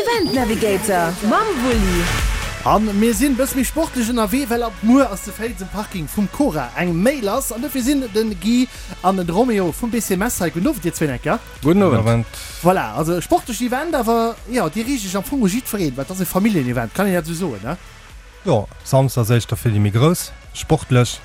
Event Navigator mam Wulli. An mir sinn bësse méi sportlech ënnerwee, well ab muer ass zu Féiz um Parking vum Cora eng Méi lass. An dofir sinn den Guy an den Romeo vum BC Metz hei. Gudden Owend dir zwéin enker. Gudden Owend. Voilà, also e sportlecht Event, awer jo, dir riicht iech am Fong u jiddwereen, well et ass e Familljen-Event, kann een dat esou soen, ne? Jo, Samsdes ass éischter fir déi méi Grouss, sportlech,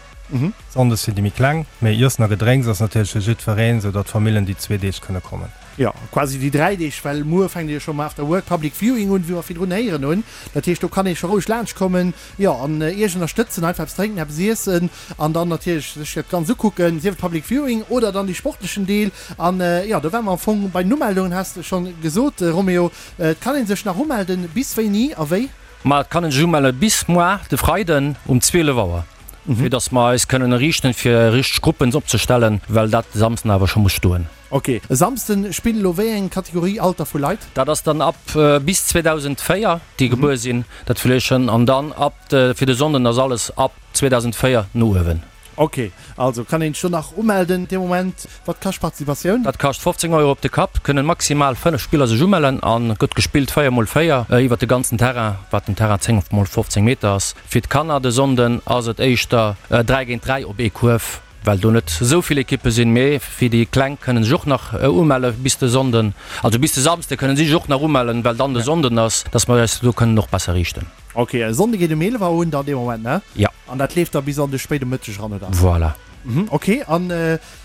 Sonndes fir déi méi Kleng. Mee Iessen a Gedrénks ass natierlech fir jiddwereen, sou datt d'Famillen déi zwee Deeg kënne kommen. Jo, quasi déi 3 Deeg, well muer fänkt jo scho mam After Work Public Viewing un, wéi mer virdrun héieren hunn. Dat heescht, do kann ee scho roueg laanscht kommen, jo, an Iech ënnerstëtzen, einfach eppes drénken, eppes iessen an dann natierlech sech dat Ganzt ukucken, sief et Public Viewing oder dann dee sportlechen Deel. An, jo, do ware mer am Fong bei den Umeldungen, has de schonn gesot, Roméo. Et kann ee sech nach umelden, bis wéini a wéi? Ma et kann een sech umelle bis muar de Freiden um 12 Auer, fir dass mer eis kënnen eriichten, fir richteg Gruppen opzestellen, well dat de Samsden awer scho muss stoen. Ok, e Samsden spillen elo wéi eng Kategorie Alter vu Leit? Dat ass dann ab bis 2004 déi gebuer sinn, dat Fläschen, an dann ab fir de Sonnden ass alles ab 2004 no uewen. Ok, also kann een sech do nach umelden dee Moment. Wat kascht d'Participatioun? Dat kascht 15 Euro op de Kapp, kënnen maximal 5 Spiller sech umellen an gëtt gespillt 4 mol 4 iwwert de ganzen Terrain, wat den Terrain 10 mol 15 Meter ass. Fir d'Kanner de Sonnden ass et éischter 3 géint 3 op ee Kuerf. Well do net esou vill Ekippe sinn, mee fir déi Kleng kënnen sech och nach umelle bis de Sonnden, also bis de Samsde kënnen si sech och nach umellen, well dann de Sonnden ass, dass mer eis do kënnen och besser riichten. Ok, e Sonnde geet um 11 Auer un dann dee Moment, ne? Jo. An dat leeft da bis an de spéide Mëtteg eran, oder? Voilà. Mhm, ok. An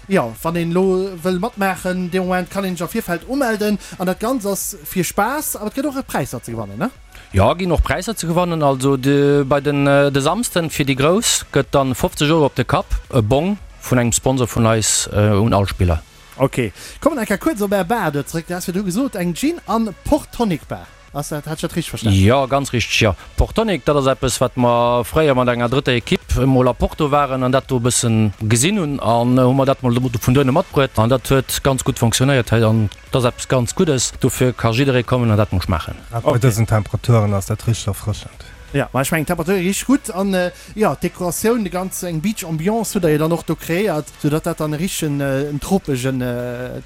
jo, wann een elo wëll matmaachen dee Moment, kann een sech am Virfeld umelden. An dat Ganzt ass fir Spaass, awer et gëtt och e Präisser ze gewannen, ne? Jo, ginn och Präisser ze gewannen. Also de bei den de Samsden fir déi Grouss gëtt dann 50 Euro op de Kapp, e Bong vun engem Sponsor vun eis un all Spiller. Ok, kommen eng Kéier kuerz op är Bar do zréck. Du has virdru gesot eng Gin an Port Tonic Bar, ass dat, hat ech dat richteg verstanen? Jo, ganz richteg, jo. Port Tonic, dat ass eppes wat mer fréier mat enger drëtter Equipe emol a Porto waren an dat do e bëssen gesinn hunn an hu mer dat mol vun dohinne matbruet an dat huet ganz gutt fonctionnéiert hei an Dat ass eppes ganz Guddes, dofir ka jidderee kommen an dat mol schmaachen. Grad bei dësen Temperaturen ass dat richteg erfrëschend. Jo, ma ech mengen d'Temperature gi richteg gutt an jo d'Dekoratioun, de ganz eng Beach Ambiance hutt der jo dann och do kreéiert, sou datt dat dann e richtegen en tropegen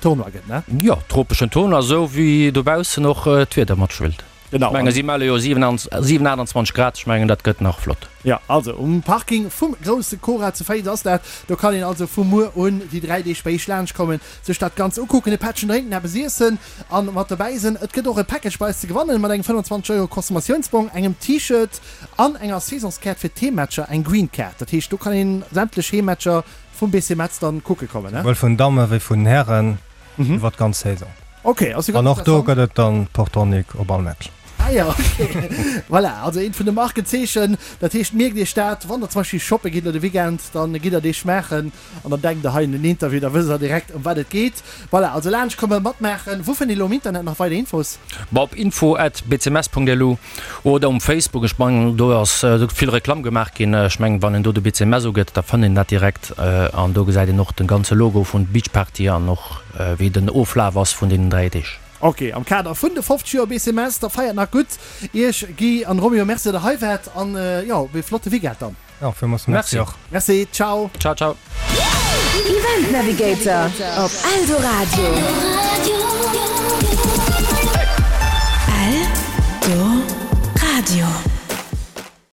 Tournoi gëtt, ne? Jo, tropeschen Tournoi, esou wéi dobaussen och d'Wieder matspillt. Genau. Ech mengen si melle jo 27, 28 Grad, ech mengen dat gëtt nach flott. Jo, also um Parking vum grousse Cora zu Féiz ass dat. Do kann een also vu muer un déi 3 Deeg bei iech laanscht kommen, sech dat Ganzt ukucken, e Pättchen drénken, eppes iessen an mat dobäi sinn. Et gëtt och e Package bei eis ze gewannen mat engem 25 Euro Consommatiounsbong, engem T-Shirt an enger Saisonskaart fir d'Heemmatcher, eng Green Card. Dat heescht do kann een sämtlech Heemmatcher vum BC Metz dann kucke kommen, ne? Souwuel vun Damme wéi vun Hären. Iwwer d'ganz Saison. Ok, ass jo ganz An och do gëtt et dann Portonic op all Match. Ah jo, ok. Voilà, also eent vun de Markenzeechen. Dat heescht, mierkt iech dat, wann der zum Beispill shoppe gitt elo de Weekend, dann gitt der dee schmaachen an dann denkt der hei un den Interview, da wësst der direkt ëm wat et geet. Voilà, also laanscht kommen, matmaachen. Wou fënnt een elo am Internet nach weider Infos? Bah, op info at bcms.lu Oder um Facebook, ech mengen do ass vill Reklamm gemaach ginn. Ech mengen wann een do de BCMS ugëtt, da fënnt een dat direkt an do gesäit een och den ganze Logo vun Beach Party an och wéi den Oflaf ass vun deenen 3 Deeg. Ok, am Kader vun de 50 Joer BCMS, da feiert nach gutt. Iech Guy an Romeo, Merci dat der hei waart an jo, op ee flotte Weekend dann. Jo, villmools Merci och. Merci, ciao. Ciao ciao. Event Navigator op Eldoradio.